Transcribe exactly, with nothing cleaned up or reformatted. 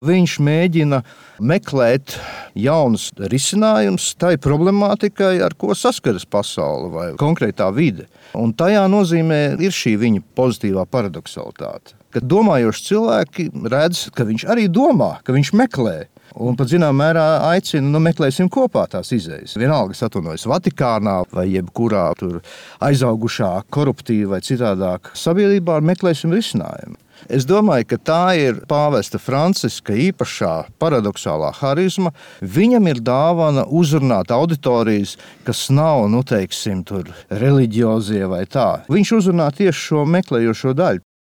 Viņš mēģina meklēt jaunus risinājumus tai problemātikai, ar ko saskaras pasaule vai konkrētā vide. Un tajā nozīmē ir šī viņa pozitīvā paradoksalitāte. Kad domājoši cilvēki redz, ka viņš arī domā, ka viņš meklē. Un pat zināmā mērā aicina, nu meklēsim kopā tās izejas. Vienalga, es atvainojos Vatikānā vai jebkurā tur aizaugušā koruptīva vai citādāk sabiedrībā, meklēsim risinājumu. Es domāju, ka tā ir pāvesta Franciska īpašā paradoxālā harizma. Viņam ir dāvana uzrunāt auditorijas, kas nav, nu teiksim, tur reliģiozie vai tā. Viņš uzrunā tieši šo meklējošo daļu.